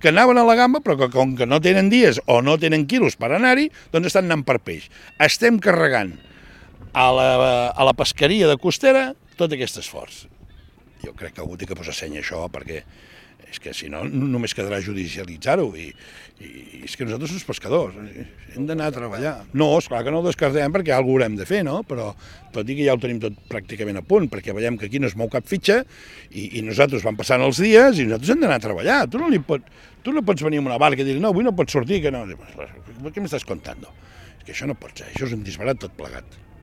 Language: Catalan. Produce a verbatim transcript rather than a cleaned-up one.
que anaven a la gamba, però que com que no tenen dies o no tenen quilos per anar-hi, doncs estan anant per peix. Estem carregant a la, a la pesqueria de costera tot aquest esforç. Jo crec que algú té que posar seny a això, perquè és que si no només quedarà judicialitzar-ho, i, i és que nosaltres som pescadors, hem d'anar a treballar. No, esclar que no ho descartem perquè alguna cosa haurem de fer, no? Però tot i que ja ho tenim tot pràcticament a punt, perquè veiem que aquí no es mou cap fitxa i, i nosaltres van passant els dies i nosaltres hem d'anar a treballar. Tu no, li pot, tu no pots venir amb una barca i dir, no, avui no pots sortir, que no. Què m'estàs contant? És que això no pot ser, això és un disbarat tot plegat.